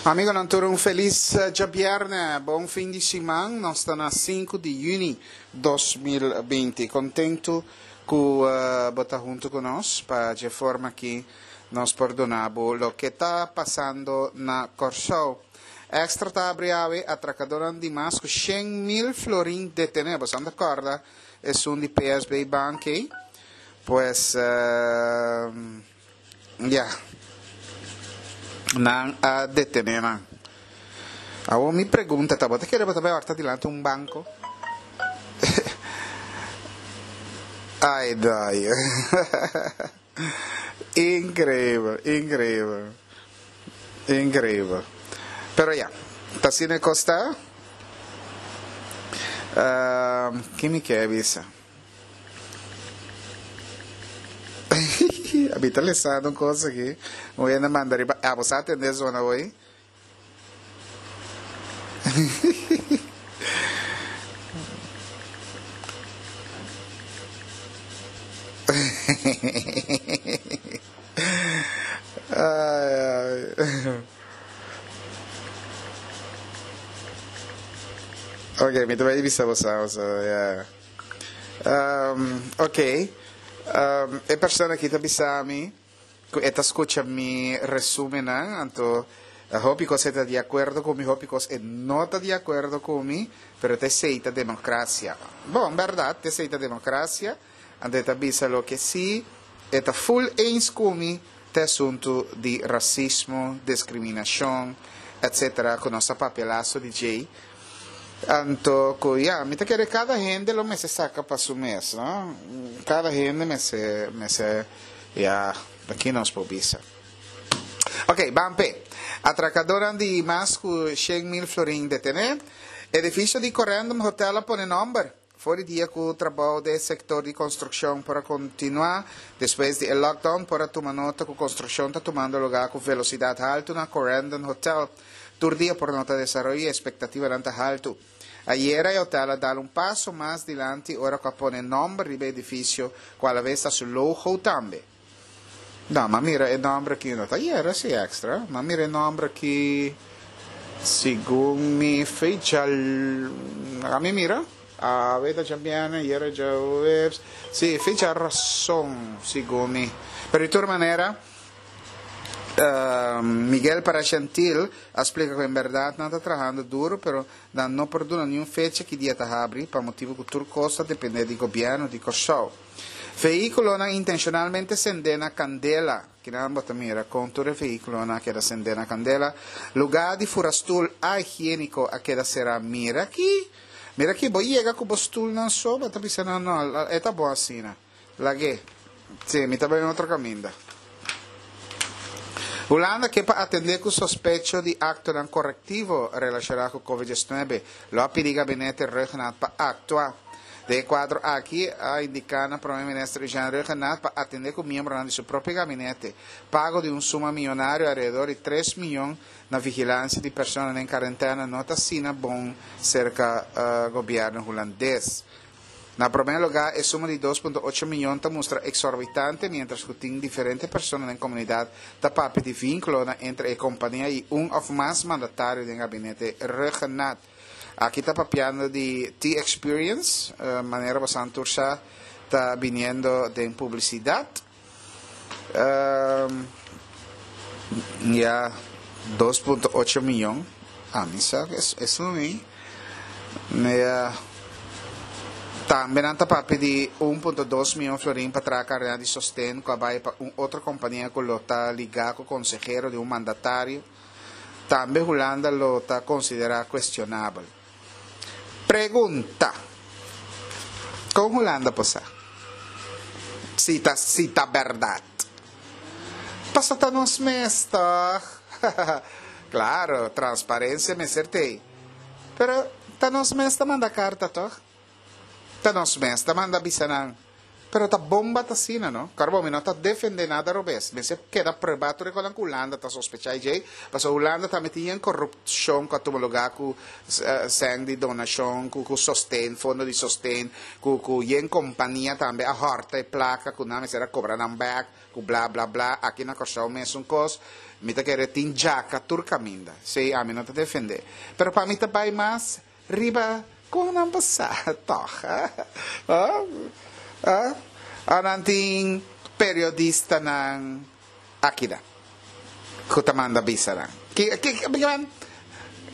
Amigonan tur un felis djabièrnè, bon fin di siman. Nos ta na sinku di yüni 2020. Kontentu ku bo ta huntu ku nos pa dje forma aki nos por duna bo loke ta pasando na Kòrsou. Extra ta abri awe atrakadónan di mas ku 100,000 florin detené. Boso a kòrda esun di PSB Bank ei? Pues ya, nan a detené nan. Awor mi pregunta ta, bo ta kere bo ta bai òrta dilanti un banko? Ai dai. Increíbel, increíbel. Increíbel. Pero ya, ta asina e kos ta. Ki mi ke bisa? Abi ta lesando un kos aki. Un hende manda riba app. Bo sa atende zona hoy? Ay, ay. Ok, mi ta bai bisa bo sa, so, yeah. Ok, e persona aki ta bisa mi ku e ta skucha mi resumennan, anto hopi kos e ta di akuerdo ku mi, hopi kos e no ta di akuerdo ku mi, pero ta esei ta demokrasia. Bon, bèrdat, ta esei ta demokrasia, anto e ta bisa loke si e ta ful eens ku mi ta e asuntu di rasismo, diskriminashon, etsetera, ku nos a papia laso di djei. Anto ku ya, mi ta kere kada hende lo mester saka pa su mes, no? Kada hende mester, mester, ya, aki nos por bisa. Ok, ban p'e. Atrakadornan di mas ku 100,000 florin detené. Edifisio di Corendon Hotel a pone nòmber. For di dia ku trabou den e sektor di konstrukshon por a kontinuá despues di e lockdown por a tuma nota ku konstrukshon ta tumando lugá ku velosidat haltu na Corendon Hotel. Tur dia por nota desaroyo i e espektativanan ta haltu. Ayera e hotel a dal un paso mas dilanti ora ku a pone nòmber riba e edifisio ku alaves ta su logo tambe. No, m'a mira e nòmber aki no ta ayera si extra. M'a mira e nòmber aki segun mi fecha laga mi mira. Awe ta djabièrnè, ayera djaweps. Si, fecha rason segun mi. Pero di tur manera. Miguel Parashantil a splika ku en bèrdat nan ta trahando duru pero nan no por duna niun fecha ki dia ta habri pa motibu ku tur kos ta dependé di gobièrnu di Kòrsou. Vehíkulonan intenshonalmente sendé na kandela, kinan bo ta mira kon tur e vehíkulonan a keda sendé na kandela, lugá di fura stul ahigiéniko a keda será mira aki, mira aki bo yega ku bo stulnan so bo ta bisa nan no e ta bon asina. Lag'é. Sí, mi ta bai un otro kaminda. Hulanda ke pa atendé ku sospecho di aktonan korektivo relashoná ku Covid 19. Lo a pidi gabinete Rhuggenaath pa aktua. Den e kuadro aki a indiká na Prome Minister Eugène Rhuggenaath pa atendé ku miembronan di su propio gabinete. Pago di un suma miyonario alrededor di tres miyon na vigilansia di personanan den karentena no ta asina bon serka gobièrnu hulandes. Na promé lugá, e suma di dos punto ocho miyon ta mustra eksorbitante miéntras ku tin diferente persona den komunidat ta papia di vínkulonan entre e kompania i un òf mas mandatario den gabinete Rhuggenaath. Aki ta papiando di T-Experience, manera bosan tur sa ta biniendo den publisidat. Ya, dos punto ocho miyon. Ami sa ku esun ei. Ya. Tambe nan ta papia di un punto dos miyon florin pa traha karnea di sosten ku a bai pa un otro kompania ku lo ta ligá ku konsehero di un mandatario. Tambe Hulanda lo ta konsiderá kuestionabel. Pregunta, Kon Hulanda por sa si ta si ta bèrdat? Paso ta nos mes tòg? Klaro, transparensia mester t'ei. Pero ta nos mes ta manda karta tòg? Ta nos mes ta manda bisa nan. Pero ta bon ba ta asina, no? Kòrda bo, mi no ta defendé nada robes. Mester keda pruebá tur e kosnan ku Hulanda ta sospechá i djei, pasobra Hulanda tambe tin yen korupshon ku a tuma lugá ku sèn di donashon, ku ku sosten, fondo di sosten, ku ku yen kompania tambe a hòrta e plaka ku nan mester a kobra nan bèk, ku bla bla bla. Aki na Kòrsou mesun kos. Mi ta kere tin djaka tur kaminda. Sí, ami no ta defendé. Pero pa mi ta bai mas Riba kon nan por sa tòg? Ora nan tin periodistanan akida ku ta manda bisa nan.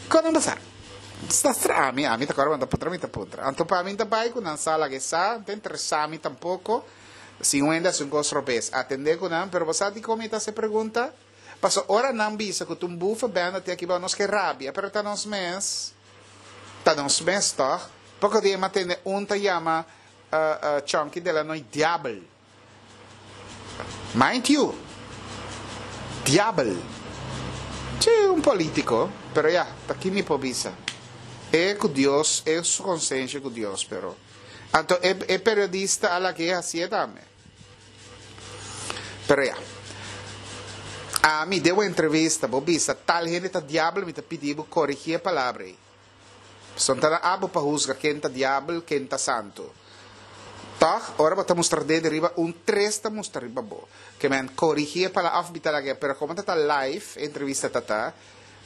Kon nan por sa? Ta stra ami, ami ta kòrda mi ta puntra, mi ta puntra. Anto pa mi ta bai ku nan sa laga e sa, no ta interesá mi tampoko. Si un hende hasi un kos robes, atendé ku nan, pero bo sa dikon mi ta hasi e pregunta? Paso ora nan bisa ku ta un bufa benda tin aki bao nos ke rabia, pero ta nos mes, ta nos mes tòg. Poko dia mi a tende un ta yama Chonky Delanoy diabel. Mind you, diabel. Sí, un politico, pero ya, ta ki mi por bisa. E ku Dios, e su konsensia ku Dios, pero. Anto e e periodista a lag'é hasié tambe. Pero ya. Ami den un entrevista bo bisa tal hende ta diabel mi ta pidi bo korigí e palabra ei. Pasobra ta na abo pa husga ken ta diabel, ken ta santu. Tòg, ora bo ta mustra dedo riba un, tres ta mustra riba bo. Ke men korigí e palabra òf mi ta lag'é, pero komo ta ta live e entrevista ta ta,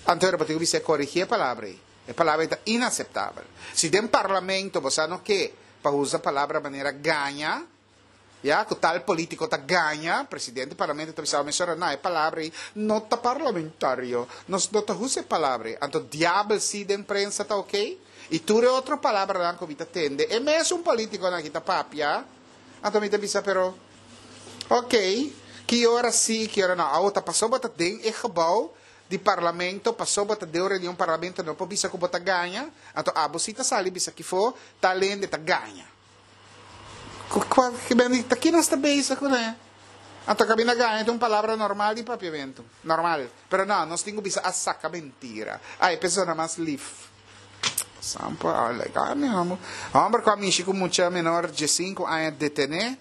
anto ora bo tin ku bisa korigí e palabra ei. E palabra ei ta inaseptabel. Si den parlamento bo sa no ke pa usa palabra manera gaña, Ya cu tal politico ta gaña, presidente di parlamento ta bisa mesora, no, e palabra ey no ta parlamentario, nos no ta usa e palabra ey. Anto diabel si den prensa ta ok? Y tur e otro palabranan cu mi ta tende, e mesun politiconan aki ta papia, anto mi ta bisa pero, ok, ki ora si, ki ora no. Awo ta pasobra bo ta den e gebouw di parlamento, pasobra bo ta den un reunion parlamento no por bisa cu bo ta gaña, anto abo si ta sali bisa kifo tal hende ta gaña. Ku kua ki bende ta ki nos ta bezig kuné? Anto kabinda gaña ta un palabra normal di papiamentu. Normal. Pero no, nos tin ku bisa a saka mentira. Ai, e persona mas lif. Sampo, a like, mi hòmber. Hòmber ku a mishi ku mucha menor diesinku aña detené.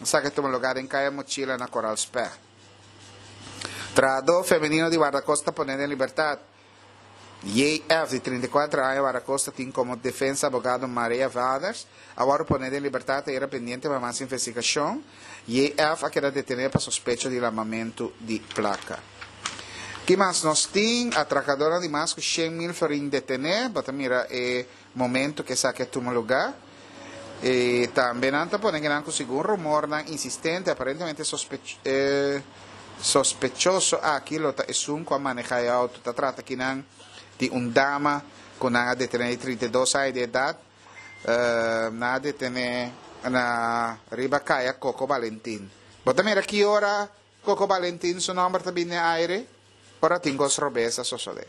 Esaki a tuma lugá den Kaya Mochila na Koral Spè. Trahadó femenino di Wardakosta poné den libertat. JF, di 34 aña, Wardakosta tin komo defensa abogado Maria Vaders, a wòrdu poné den libertat ayera pendiente pa mas investigashon. JF a keda detené pa sospecho di lamamentu di plaka. Ki mas nos tin? Atrakadornan di mas ku 100,000 florin detené. Bo ta mira e momento ku esaki a tuma lugá. I tambe nan ta pone kinan ku segun rumornan insistente aparentemente e sospechoso aki lo ta esun ku a manehá e outo. Ta trata kinan di un dama ku nan a detené di 32 aña di edat. Nan a detené na riba kaya Coco Balentin. Bo ta mira ki ora Coco Balentin su nomber ta bini den aire? Ora tin cos robes a sosode.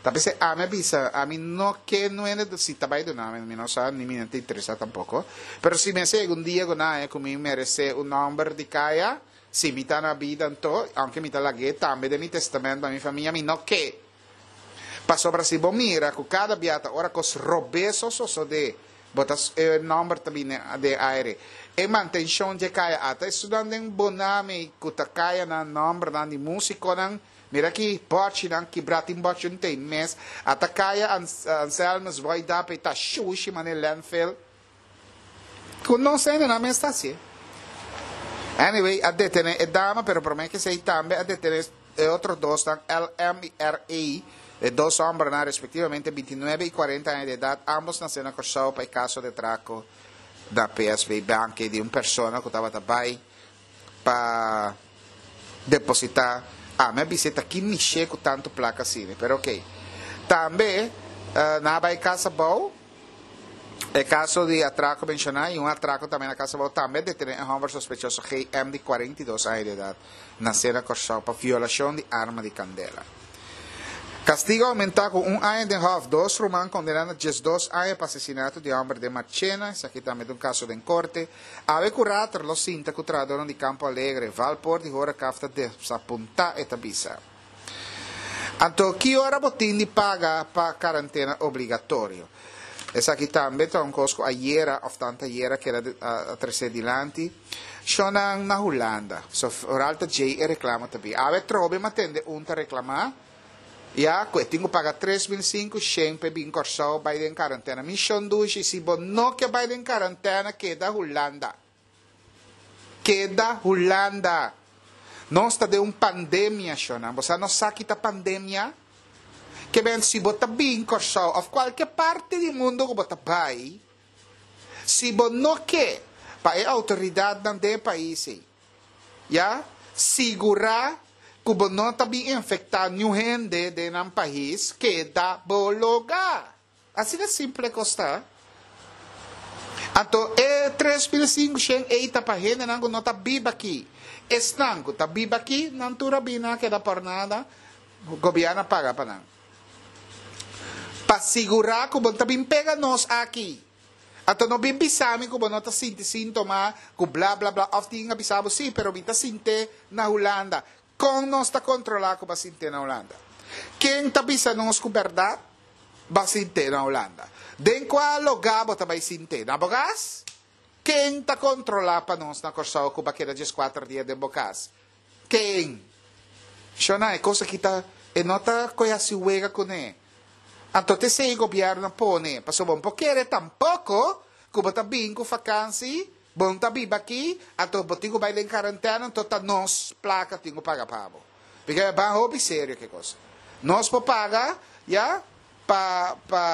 Ta p'esei ami a bisa, ami no ke nuende si ta bai duna mi, mi no sa, ni mi no ta interesa tampoco. Pero si mi a sega un dia cu nan haña cu mi merece un nomber di caya, si mi ta na bida anto, aunke mi ta lag'é tambe den mi testament pa mi famia, mi no ke. Pasobra si bo mira cu cada bia ta ora cos robes a sosode, bo ta e nomber ta bini den aire. E mantencion dje caya ata estudan den Bonami cu ta caya nan nombernan di musiconan. Mira aki bochinan kibra tin bochi un tei mes. Ata caya Anselmus Boy Dape ta shushi mane landfill. Cu nos hendenan mes ta hacié. Anyway, a detene e dama, pero prome cu esey tambe a detene e otro dosnan, LM y RA, e dos hombernan respectivamente 29 y 40 aña di edad, ambos nace na Corsou pa e caso di atraco na PSB Bank di un persona cu tabata bay pa deposita. Ami a bisa ta ki mishi cu tanto placa asina, pero ok. Tambe nan a bay casa abou. E kaso di atrako menshoná i un atrako tambe na Casa Abou tambe a detené e hòmber sospechoso GM di 42 aña di edat, nasé na Kòrsou pa violashon di arma di kandela. Kastigo a oumentá ku un aña den hòf, dos ruman kondená na 12 aña pa asesinato di hòmber den Marchena, esaki tambe ta un kaso den korte. Awe ku rater lo sinta ku trahadónan di Campo Alegre, Valpoort di Horecaf ta desapuntá, e ta bisa. Anto ki ora bo tin di paga pa karantena obligatorio? Esaki tambe ta un kos ku ayera òf tanta ayera keda a tresé dilanti. Shonnan na Hulanda. So vooral ta djei e reklamo ta bin. Awe trobe mi a tende un ta reklamá ya ku e tin ku paga 3500 pa e bin Kòrsou bai den karantena. Mi shon dushi si bo no ke bai den karantena keda Hulanda. Keda Hulanda. Nos ta den un pandemia shonnan. Bo sa nos sa ki ta pandemia? Ke ben si bo ta bin Kòrsou òf kualke parti di mundu ku bo ta bai, si bo no ke pa e outoridatnan den e pais ei, ya, sigurá ku bo no ta bin infektá niun hende den nan pais, keda bo logá. Asina simple kos ta. Anto e 3500 ei ta pa hendenan ku no ta biba aki. Esnan ku ta biba aki, nan tur a bini a keda por nada, gobièrnu a paga pa nan. Pa sigurá ku bo no ta bin pega nos aki. Anto no bin bisa mi ku bo no ta sinti síntoma, ku bla bla bla, òf tin a bisa bo sí, pero mi ta sint'é na Hulanda. Kon nos ta kontrolá ku bo a sint'é na Hulanda? Ken ta bisa nos ku bèrdat? Ba sint'é na Hulanda. Den kua logá bo ta bai sint'é? Na bo kas? Ken ta kontrolá pa nos na Kòrsou ku bo a keda 14 dia den bo kas? Ken? Shona, e kos aki ta, e no ta koe hasi wega kuné. Anto t'esei gobièrnu a pone, pasobra bo no por kere tampoko ku bo ta bin ku fakansi, bo no ta biba aki, anto bo tin ku bai den karantèna, anto ta nos plaka tin ku paga pa bo. Porque e ban hopi serio ke kos. Nos por paga ya pa pa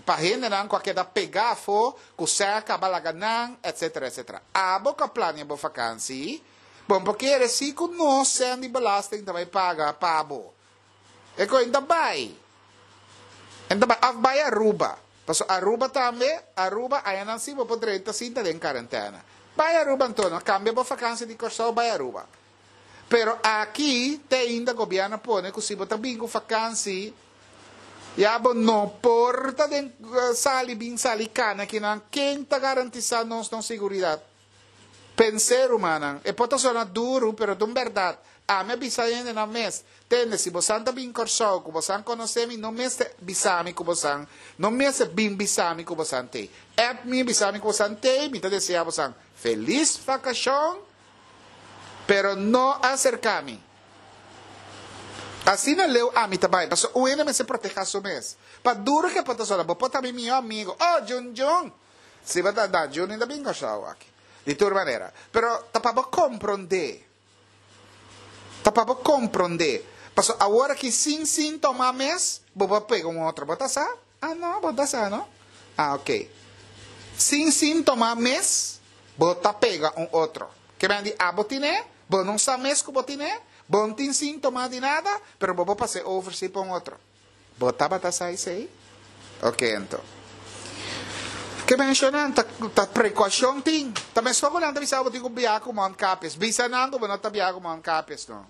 pa hendenan ku a keda pega afo ku sè a kaba laga nan etcetera etcetera. Abo ku a plania bo fakansi bo no por kere si ku nos sèn di belasting ta bai paga pa bo. E koe ta bai. E ta bai of bai Aruba. Pasobra Aruba tambe, Aruba ayanan si bo por drenta sin ta den karentena. Bai Aruba anto no kambia bo fakansi di Kòrsou bai Aruba. Pero aki te ainda gobierno a pone cu si bo ta bin cu vakantie ya bo no por ta den sali bin sali cana kinan ken ta garantisa nos nos siguridad? Pense rumannan e por ta sona duro pero ta un berdad ami a bisa hendenan mes tende si bosan ta bin Corsou cu bosan conoce mi no mester bisa mi cu bosan no mester bin bisa mi cu bosan tey app mi bisa mi cu bosan tey mi ta desea bosan feliz vacacion Pero no aserká mi. Asina leu ami ta bai, pasobra un hende mester protehá su mes. Pa duru ke por ta sola, bo por ta mi mihó amigo. Oh, Jun Jun! Si bo ta, na, Jun ta bin Kòrsou aki. Di tur manera. Pero ta pa bo komprondé. Ta pa bo komprondé. Pasobra awor aki sin síntoma mes, bo por pega un otro. Bo ta sa? Ah no, bo ta sa no? Ah ok. Sin síntoma mes, bo ta pega un otro. Ke men di abo tine, bo no sa mes ku bo tine, bo no tin síntoma di nada, pero bo por pas'é over sí pa un otro. Bo tabata sa esei? Ok anto. Ke menshonan ta ta prekoushon tin. Ta meskos ku nan ta bisa bo tin ku biaha ku mondkapjes. Bisa nan ku bo no ta biaha ku mondkapjes no.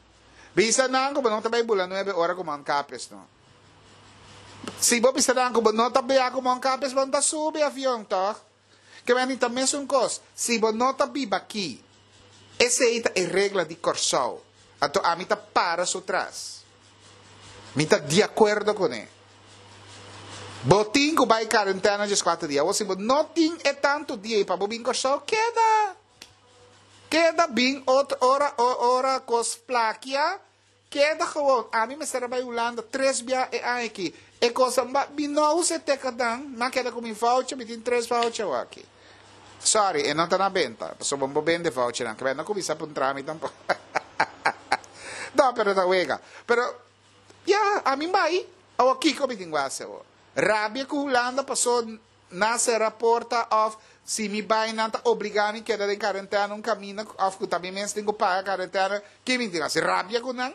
Bisa nan ku bo no ta bai bula nuebe ora ku mondkapjes no. Si bo bisa nan ku bo no ta biaha ku mondkapjes bo no ta subi avion tòg? Ke men di ta mesun kos, si bo no ta biba aki, esei ta e regla di Kòrsou, anto ami ta para su tras. Mi ta di akuerdo kuné. Bo tin ku bai karentena 14 dia. Awor si bo no tin e tantu dia ei pa bo bin Kòrsou, keda. Keda bin otro ora, ora kos plakia, Keda gewoon, ami mester a bai Hulanda tres bia e aña aki. E cosa ba mi no usa e tekadan, mi a keda ku mi voucher, mi tin tres voucher awor aki. Sorry, e no ta na benta, pasobra bo no por bende vouchernan, kebé no kuminsá puntra mi tampoco. No, pero ta wega. Pero, ya, ami bai, awor kiko mi tin ku hasi awor? Rabia ku Hulanda paso Nan sera porta of si mi bai nan ta obliga mi keda den karentena un kaminda of ku ta mi mes tin ku paga karentena, ki mi tin hasi rabia ku nan?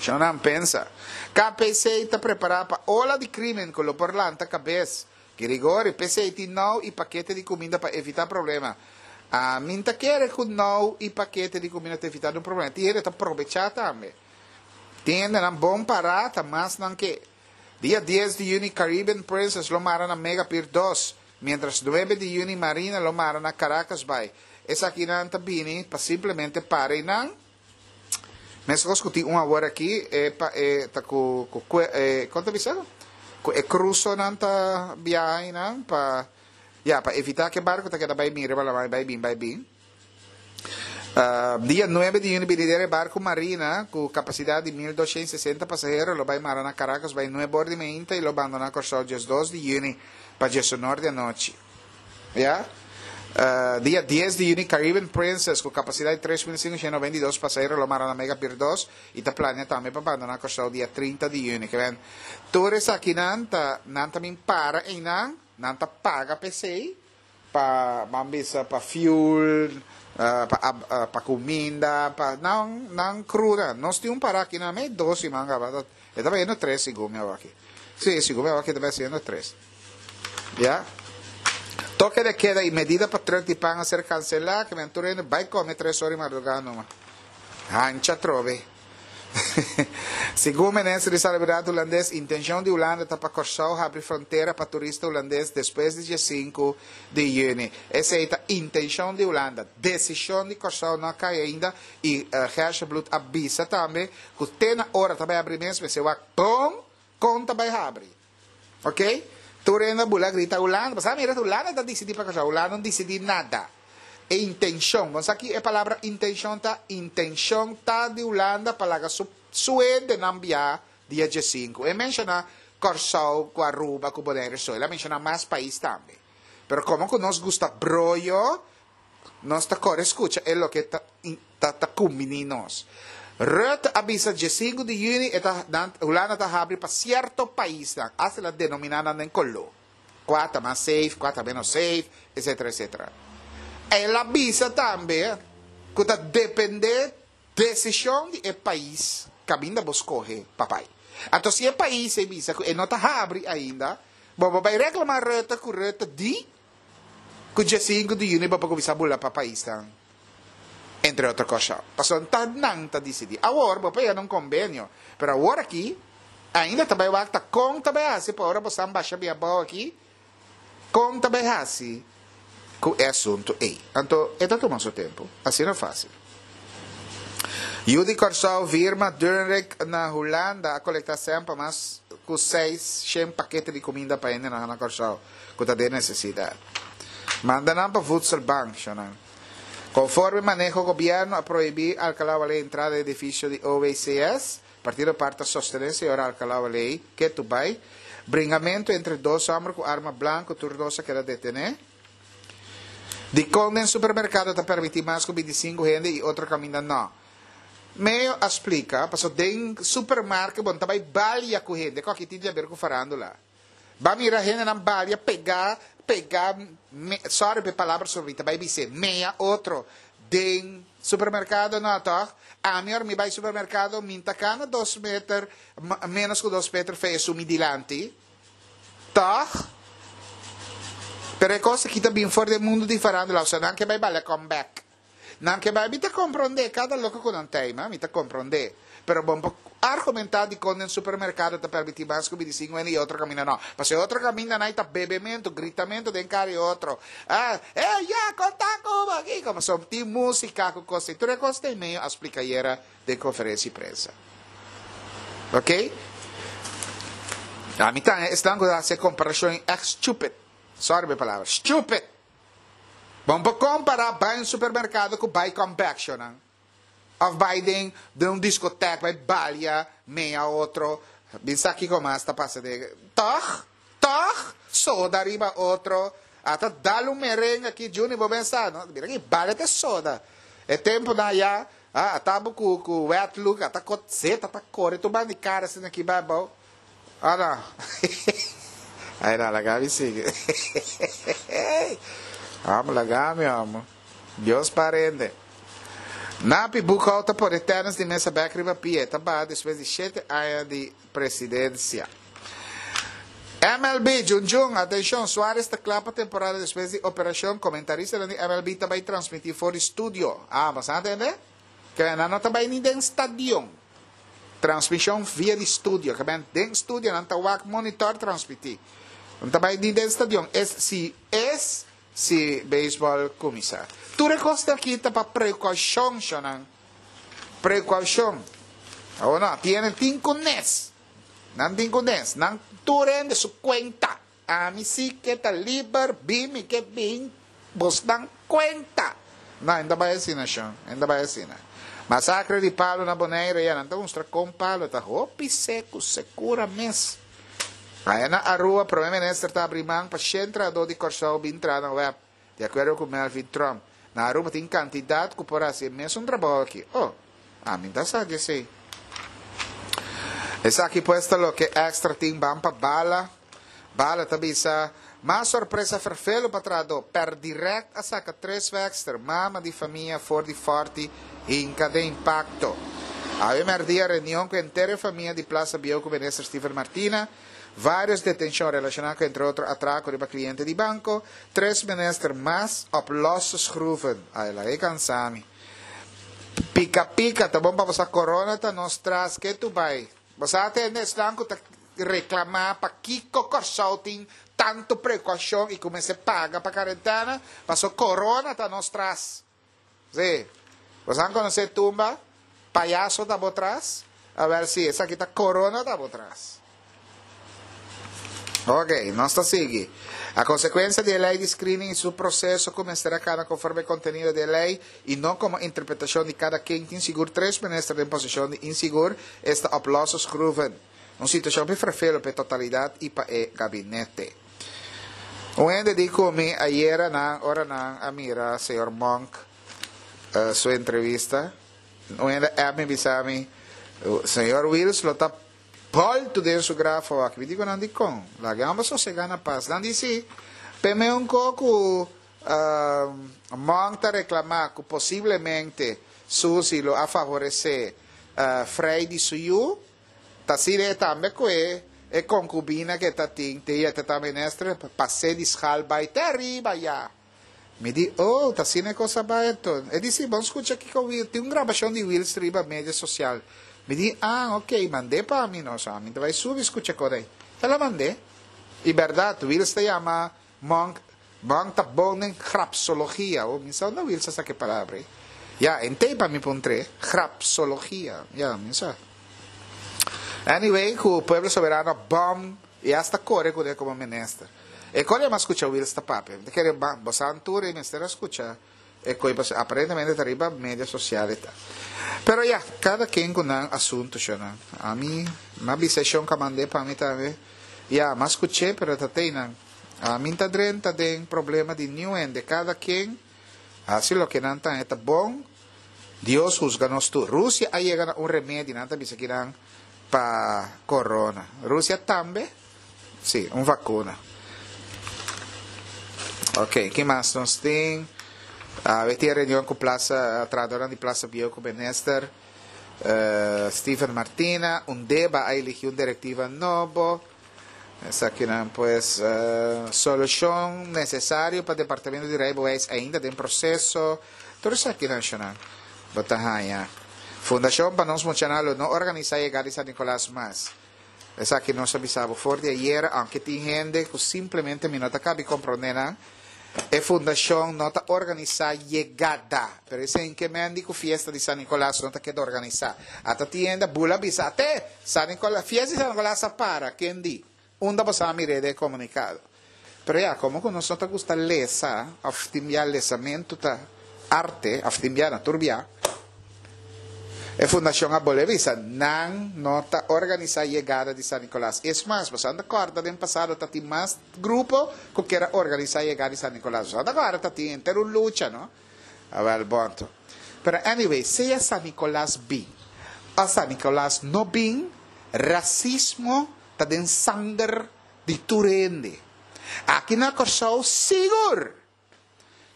Sho nan pensa. KPC ta prepara pa ola di krimen ku lo por lanta kabes. Girigori, p'esei tin nou i pakete di kuminda pa evita problema. Ami n'ta kere ku nou i pakete di kuminda ta evita un problema. Tin hende ta probecha tambe. Tin hendenan bon para ta mas nan ke. Dia 10 di yüni Caribbean Princess lo mara na Mega Pier 2, mientras 9 di yüni Marina lo mara na Caracas Bay. Esakinan ta bini pa simplemente para einan. Meskos ku tin un awor aki, e pa e ta ku ku kue e kon ta bisa? Ku e krusonan ta biaha einan pa ya pa evitá ku e barku ta keda bai bin riba laman bai bin bai bin. Dia nuebe di yüni binidero e barku Marina ku kapasidat di 1260 pasahero lo bai mara na Caracas bai nuebe or di meinta i lo bandoná Kòrsou 12 di yüni pa diesunor di anochi. Ya. Dia dies di yüni Caribbean Princess ku kapasidat di 3592 pasahero lo mara na Mega Pier dos i ta plania tambe pa bandoná Kòrsou dia 30 di yüni. Ke men tur esakinan ta nan ta bin para einan, nan ta paga p'esei pa ban bisa pa fuel, pa pa kuminda, pa nan nan kruda. Nos tin un para aki nan mei dos siman kaba e ta bayendo tres segun mi awaki. Si, segun mi awaki e ta bai haciendo tres. Ya. Toke de keda i medida pa truk di pan a ser kanselá, ke men tur hende bai kome tres ora di mardugá numa. Hancha atrobe. Segun Minister di Salubridat Hulandes, intencion di Hulanda ta pa Kòrsou habri frontera pa turista hulandes despues di diesinku di yüni. Esei ta intencion di Hulanda. Desishon di Kòrsou no a kai ainda i Gershebloed a bisa tambe ku te na ora ta bai habri mes mester wak bon kon ta bai habri. Ok? Tur hende a bula grita Hulanda. Pasobra mira Hulanda ta disidí pa Kòrsou. Hulanda no disidí nada. E intenshon. Bo sa ki e palabra intenshon ta? Intenshon ta di Hulanda pa laga su su hendenan biaha dia diesinku. E menshoná Kòrsou ku Aruba ku Bonaire so. El a menshoná mas pais tambe. Pero komo ku nos gusta broyo, Nos ta kore skucha e loke ta ta ta kumbiní nos. Rutte a bisa diesinku di yüni e ta nan Hulanda ta habri pa sierto paisnan, asta el a denominá nan den koló, kua ta mas safe, kua ta ménos safe, etsetera etsetera. El a bisa tambe ku ta dependé desishon di e pais kaminda bo skohe pa bai. Anto si e pais ei bisa ku e no ta habri ainda, bo bo bai reklamá Rutte ku Rutte di Ku diesinku di yüni bo por kuminsá bula pa paisnan, entre otro kosnan. Pasobra ta nan ta disidí. Awor bo por yega na un kombenio, pero awor aki ainda ta bai wak ta kon ta bai hasi pa ora bo san basha bia abou aki, kon ta bai hasi ku e asuntu ei. Anto e ta tuma su tempu, asina fásil. Yu di Kòrsou Virma Durnrik na Hulanda a kolektá sèn pa mas ku 600 pakete di kuminda pa hendenan na Kòrsou. ku ta den nesesidat. Manda nan pa Voedselbank, shonnan. Konforme maneho gobièrnu a prohibí Alcalá Waley entrada den edifisio di OWCS, Partido par ta sostené señor Alcalá Waley ketu bai. Bringamentu entre dos hòmber ku arma blanku, tur dos a keda detené. Dikon den supermerkado ta permití mas ku 25 hende i otro kaminda nò? Meo a splika, paso den supermarket bo no ta bai balia ku hende, ku aki tin di haber ku farándula. Ba mira hendenan balia pega pega me sorry pa e palabra so mi ta bai bis'é mea otro den supermercado no tog ami ora mi bai supermercado mi ta cana dos meter menos cu dos meter fe esun mi dilanti tog pero e cos aki ta bin for di e mundo di farandula osea nan ke bai balia come back. Nan ke bai, mi ta komprondé kada loke ku nan ta ma mi ta komprondé. Pero bon por argumentá dikon den supermerkado ta permití mas ku 25 hende i otro kaminda no. Pasobra e otro kaminda nan ta bebementu, gritamentu den kara e otro. Ah, eh, ya, konta ku bo kiko. Pasobra tin músika ku kos ei. Tur e kos ta e medio a splika ayera den konferensia di prensa. Oké? Ami ta esnan ku ta hasi e komparashon ei ègt stupid. Sorry pa e palabra. Stupid! Bo no por kompará bai un supermerkado ku bai kòmpèkshonan òf bai den den un diskotèk bai balia mea otro. Bin sa kiko mas ta pasa den tòg tòg soda riba otro ata dal un merengue aki Juni bo ben sa no mira ki balia ta soda e tempunan aya a ata bo ku ku wet look ata kot zeta ta kore tur banda di kara asina aki bai abou. Ana. Ay na laga mi sigui. Amo laga mi amo. Dios parende. Napi Boekhoudt ta pone tennis di mesa bek riba pia. E ta baha despues di shete aña di presidencia. MLB, Jun Jun, atencion, Suarez ta kla pa temporada despues di operacion. Comentaristanan di MLB ta bay transmiti for di studio. Ah, bo sa tende? Ke nan no ta bai ni den stadion. Transmishon via di studio. Ke men den studio nan ta wak monitor transmití. No ta bai ni den stadion. Es si es si beisbòl kuminsá. Tur e kosnan aki ta pa prekoushon, shonnan. Prekoushon. Awor no, tiene tin ku nes. Nan tin ku nes. Nan tur hende su kuenta. Ami si ke ta liber, bin mi ke bin bosnan kuenta. No, e no ta bai asina, shon. E no ta bai asina. Masakre di palu na Bonaire, ya, nan ta mustra kon palu ta hopi seku, sekura mes. Aya na Aruba, Prome Minister ta abri man pa shen trahadó di Kòrsou bin traha na web, di akuerdo ku Melvin Trump. Na Aruba tin kantidat ku por hasi e mesun trabou aki. Oh, ami ta sa di esei. Esaki pues ta loke Extra tin ban pa bala. Bala ta bisa, Mas sorpresa ferfelu pa trahadó, per direct a saka tres wèkster, mama di famia for di Fòrti hinka den impakto. Awe mèrdia reunion ku henter e famia di Plaza Bieu ku Minister Steven Martina, vários detenshon relashoná ku entre otro atrako riba kliente di banko, tres minister mas op losse schroeven. Ay laga e kansa mi. Pika pika ta bon pa bo sa corona ta nos tras ke tu bai. Bo sa atende esnan ku ta Reklamá pakiko Kòrsou tin tantu prekoushon i ku mester paga pa karentena, paso korona ta nos tras. Sí. Boso han konosé tumba? Payaso ta bo tras? Awèl sí, esaki ta korona ta bo tras. Ok, nos ta sigui. A konsekuensia di e lei di screening i su proseso ku mester a kana konforme e kontenido di e lei i no komo interpretashon di kada ken tin sigur tres minister den posishon di insigur, esta op losse schroeven. Un situacion hopi frefelo pa e totalidad y pa e gabinete. Un hende di cu mi ayera nan ora nan a mira señor Monk su entrevista, un hende app mi bisa mi, señor Wiels lo ta bolto den su graf awaki. Mi di cu nan dicon? Laga e homber sosega na paz. Nan di si, p'e un co cu Monk ta reclama cu posiblemente Suzy lo a favorece Frey di su yu. Ta asina e tambe ku e e konkubina ku e ta tin te yete ta minister pas'é di schal bai te ariba ya. Mi di, oh, ta asina e kos a bai anto. E di, si, bon skucha kiko Wil, tin un grabashon di Wils riba media sosial. Mi di, ah, ok, mand'é pa mi no, so ami ta bai subi skucha kos ei. El a mand'é. I bèrdat, Wils ta yama Monk, Monk ta bon den grapsologia. Oh, mi sa unda Wills a saka e palabra ei. Ya, en tei pa mi puntr'é. Grapsologia. Ya, mi sa. Anyway, ku Pueblo Soberano a bom i hasta kore kuné komo minister. E kore mi a skucha Wills ta papia. Mi ta kere bo sa tur ei mester a skucha e koi pasobra aparentemente ta riba media sosial e ta. Pero ya, kada ken ku nan asuntu shonnan. Ami, mi a bisa e shon ku a mand'é pa mi tambe. Ya, mi a skuch'é pero ta tei nan. Ami ta drenta den problema di niun hende, kada ken hasi loke nan ta haña ta bon, Dios husga nos tur. Rusia a yega na un remedi, nan ta bisa kinan, pa corona. Rusia tambe? Si, un vacuna. Ok, ki mas nos tin? Awe tin e reunion ku Plaza, trahadornan di Plaza Bieu ku Minister Steven Martina. Undeba a eligi un directiva nobo. Esakinan pues solucion necesario pa Departamento di Rijbewijs ainda den proceso. Tur esakinan shonan bo ta haña. Fundacion pa nos muchanan lo no organisa yega di San Nicolas mas. Esaki nos a bisa bo for di ayer, aunke tin hende cu simplemente mi no ta cabi comprende nan. E fundacion no ta organisa yegada, pero esei ke men di cu fiesta di San Nicolas no ta keda organisa. Ata tin hende a bula bisa, Ate! San Nicolas, fiesta di San Nicolas a para, ken di? Unda bo sa mir'é den e comunicado? Pero ya, como cu nos no ta gusta lesa, of tin bia lesamento ta arte, of tin bia na tur bia, E fundacion a bolbe bisa, nan no ta organisa yegada di San Nicolas. Es mas, boso anda corda den pasado ta tin mas grupo cu kier a organisa yegada di San Nicolas. Boso anda corda ta tin henter un lucha, no? Awel, bon to. Pero anyway, sea San Nicolas bin o San Nicolas no bin, racismo ta den sanger di tur hende. Aki na Corsou sigur!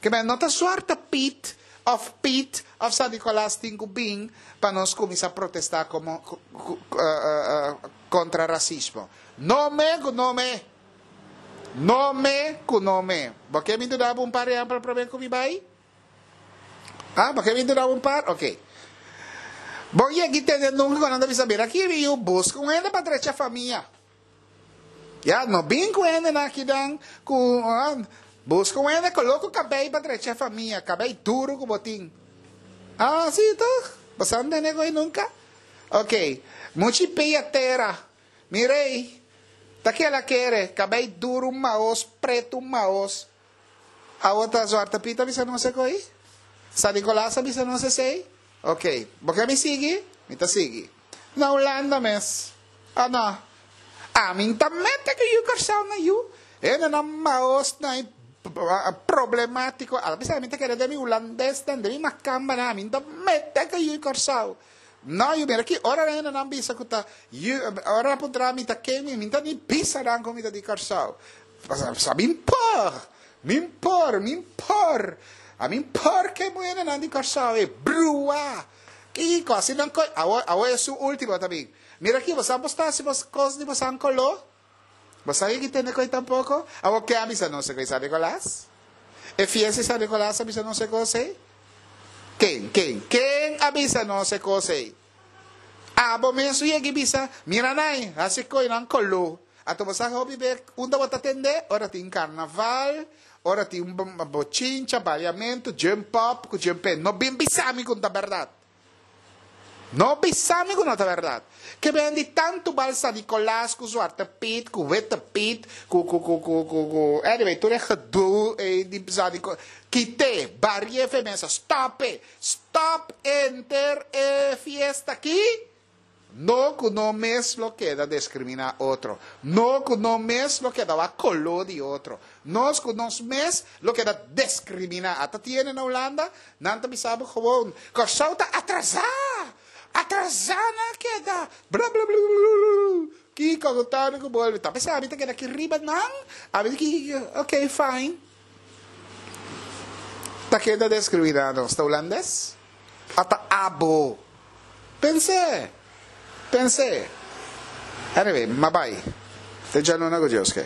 Ke men no ta suerte Piet of Piet of San Nicolas tin ku bin pa nos kuminsá protestá komo kontra rasismo. No me ku no me. No me ku no me. Bo ke mi duna bo un par ehèmpel promé ku mi bai? Ah, bo ke mi duna bo un par? Oke. Bo yegi tende nunka ku nan ta bisa, Mira aki mi yu, buska un hende pa drecha famia. Ya, no bin ku hendenan akinan ku buska un hende koló ku kabei pa drecha e famia, kabei duru ku bo tin. Ah, si toch? Bo sa ntende koe nunka? Ok, muchi pia tera. Mi rei, ta kela kere, kabei duru maos, pretu maos. Awo ta Zwarte Piet a bisa nos e koi? San Nicolas a bisa nos esei? Ok, bo ke mi sigui? Mi ta sigui. Na Hulanda mes. Ah no. Ami n'ta mete ku yu Kòrsou na yu. Hendenan maos na e problemátiko. A bisa mi ta kere den mi hulandesnan, den mi makambanan, ami n'ta mete ku yu Kòrsou. No yu, mira ki ora hendenan bisa ku ta yu, ora nan puntra mi ta ken mi, mi n'ta ni bisa nan ku mi ta di Kòrsou. Pasobra mi n'por, mi n'por, mi n'por. Ami n'por ke muhernan di Kòrsou e brua. Kiko asina nan koe? Awor, awor esun ultimo ta bin. Mira aki, boso a posta si bos kos di boso koló? Bo sa ki tende koe tampoko? Awor ke a bisa nos e koe San Nicolas? E fiesta di San Nicolas a bisa nos e kos ei? Ken, ken, ken a bisa nos e kos ei? Abo mes u yega i bisa, Mira nai, hasi koe nan koló. Anto bo sa hopi be unda bo ta tende? Ora tin karnaval, ora tin bochincha, baliamentu, jump up ku jump in. No bin bisa mi ku no ta bèrdat. No bisa mi ku no ta bèrdat. Ke bendi tantu bal San Nicolas ku Zwarte Piet, ku Witte Piet, ku ku ku ku ku ku anyway tur e gedoe ei di San Nicolas. Kit'é, bari'é fe mesa, stòp e, stòp enter e fiesta aki. No ku no mes lo keda deskriminá otro. No ku no mes lo keda wak koló di otro. Nos ku nos mes lo keda deskriminá. Ata tiene na Hulanda, nan ta bisa bo gewoon, Kòrsou ta atrasá! Atrasá nan a keda! Blablabla. Kiko ku tòrnu ku bolbe. Ta p'esei ami ta keda aki riba nan. Ami di, ok, fine. Ta keda deskriminá nos. Ta hulandes? Ata abo. Pens'é! Pens'é! Anyway, m'a bai. Te djanuna ku Dios ke.